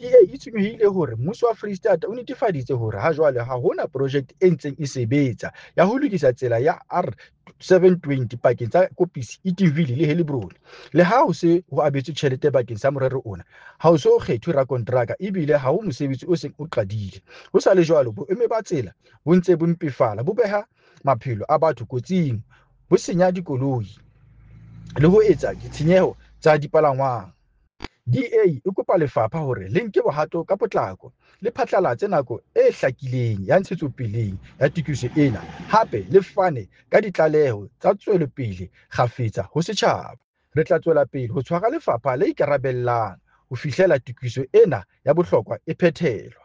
DA e tshwenyehile hore mmuso wa Freistata o netefaditse hore hajwale ha ho na porojeke e ntseng e sebetsa ya ho lokisa tsela ya R720 pakeng tsa Koppis, Edenville le Heilbron. Le ha ho se ho abetswe tjhelete bakeng sa morero ona, ha ho so kgethwe rakonteraka ebile ha ho mosebetsi o seng o qadile. Ho sa le jwalo, boemo ba tsela bo ntse bo mpefala, bo beha maphelo a batho kotsing, bo senya dikoloi le ho etsa ditshenyeho tsa dipalangwang. DA e kopa lefapha hore le nke bohato ka potlako, le phatlalatse nako e hlakileng ya ntshetsopele ya tokiso ena, hape le fane ka ditlaleho tsa tswelopele kgafetsa ho setjhaba. Re tla tswela pele ho tshwara lefapha le ikarabellang ho fihlela tokiso ena ya bohlokwa e phethelwa.